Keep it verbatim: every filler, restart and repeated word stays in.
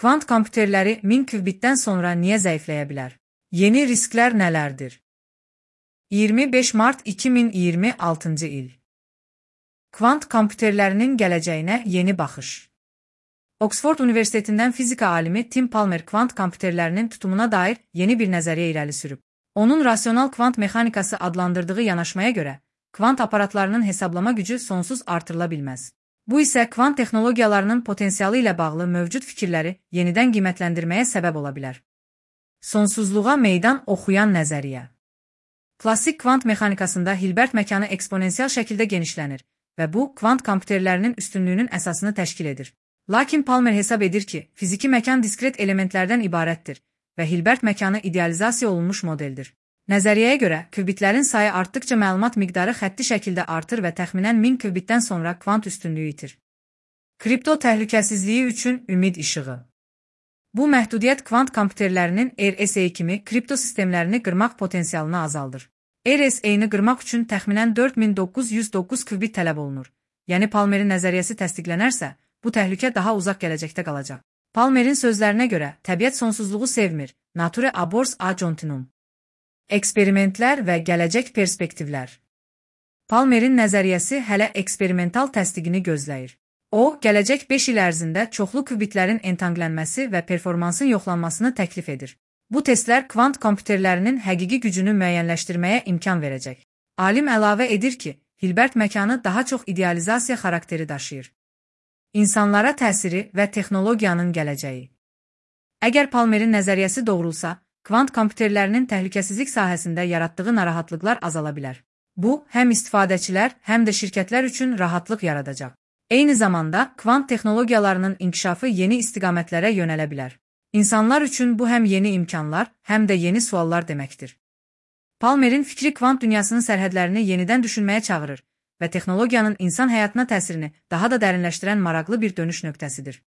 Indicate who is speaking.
Speaker 1: Kvant kompüterləri min qubitdən sonra niyə zəifləyə bilər? Yeni risklər nələrdir? iyirmi beş mart iki min iyirmi altıncı il. Kvant kompüterlərinin gələcəyinə yeni baxış. Oxford Universitetindən fizika alimi Tim Palmer kvant kompüterlərinin tutumuna dair yeni bir nəzəriyyə irəli sürüb. Onun rasional kvant mexanikası adlandırdığı yanaşmaya görə, kvant aparatlarının hesablama gücü sonsuz artırıla bilməz. Bu isə kvant texnologiyalarının potensialı ilə bağlı mövcud fikirləri yenidən qiymətləndirməyə səbəb ola bilər. Sonsuzluğa meydan oxuyan nəzəriyyə. Klassik kvant mexanikasında Hilbert məkanı eksponensial şəkildə genişlənir və bu, kvant kompüterlərinin üstünlüyünün əsasını təşkil edir. Lakin Palmer hesab edir ki, fiziki məkan diskret elementlərdən ibarətdir və Hilbert məkanı idealizasiya olunmuş modeldir. Nəzəriyyəyə görə, qubitlərin sayı artdıqca məlumat miqdarı xətti şəkildə artır və təxminən min qubitdən sonra kvant üstünlüyü itir. Kripto təhlükəsizliyi üçün ümid işığı. Bu məhdudiyyət kvant kompüterlərinin R S A kimi kripto sistemlərini qırmaq potensialını azaldır. R S A-ni qırmaq üçün təxminən dörd min doqquz yüz doqquz qubit tələb olunur. Yəni Palmerin nəzəriyyəsi təsdiqlənərsə, bu təhlükə daha uzaq gələcəkdə qalacaq. Palmerin sözlərinə görə, təbiət sonsuzluğu sevmir. Nature abhors ad infinitum. Eksperimentlər və gələcək perspektivlər. Palmerin nəzəriyyəsi hələ eksperimental təsdiqini gözləyir. O, gələcək beş il ərzində çoxlu qubitlərin entanqlənməsi və performansın yoxlanmasını təklif edir. Bu testlər kvant kompüterlərinin həqiqi gücünü müəyyənləşdirməyə imkan verəcək. Alim əlavə edir ki, Hilbert məkanı daha çox idealizasiya xarakteri daşıyır. İnsanlara təsiri və texnologiyanın gələcəyi. Əgər Palmerin nəzəriyyəsi doğrulsa, kvant kompüterlərinin təhlükəsizlik sahəsində yaratdığı narahatlıqlar azala bilər. Bu, həm istifadəçilər, həm də şirkətlər üçün rahatlıq yaradacaq. Eyni zamanda, kvant texnologiyalarının inkişafı yeni istiqamətlərə yönələ bilər. İnsanlar üçün bu həm yeni imkanlar, həm də yeni suallar deməkdir. Palmerin fikri kvant dünyasının sərhədlərini yenidən düşünməyə çağırır və texnologiyanın insan həyatına təsirini daha da dərinləşdirən maraqlı bir dönüş nöqtəsidir.